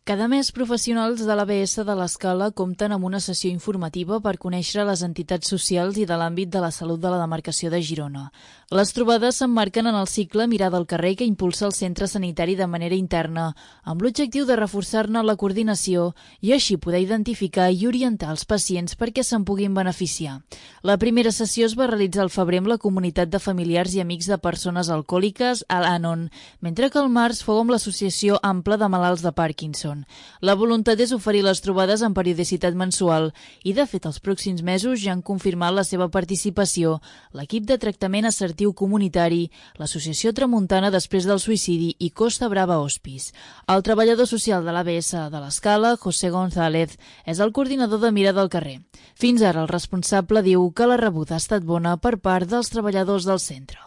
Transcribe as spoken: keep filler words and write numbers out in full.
Cada mes, professionals de l'A B S de l'Escala compten amb una sessió informativa per conèixer les entitats socials i de l'àmbit de la salut de la demarcació de Girona. Les trobades s'emmarquen en el cicle Mirada al carrer que impulsa el centre sanitari de manera interna, amb l'objectiu de reforçar-ne la coordinació i així poder identificar i orientar els pacients perquè se'n puguin beneficiar. La primera sessió es va realitzar al febrer amb la comunitat de familiars i amics de persones alcohòliques a l'Anon, mentre que al març fou amb l'Associació Ampla de Malalts de Parkinson. La voluntat és oferir les trobades amb periodicitat mensual i, de fet, els pròxims mesos ja han confirmat la seva participació l'equip de tractament assertiu comunitari, l'Associació Tramuntana després del suïcidi i Costa Brava Hospice. El treballador social de l'A B S de l'Escala, José González, és el coordinador de Mirada al carrer. Fins ara, el responsable diu que la rebuda ha estat bona per part dels treballadors del centre.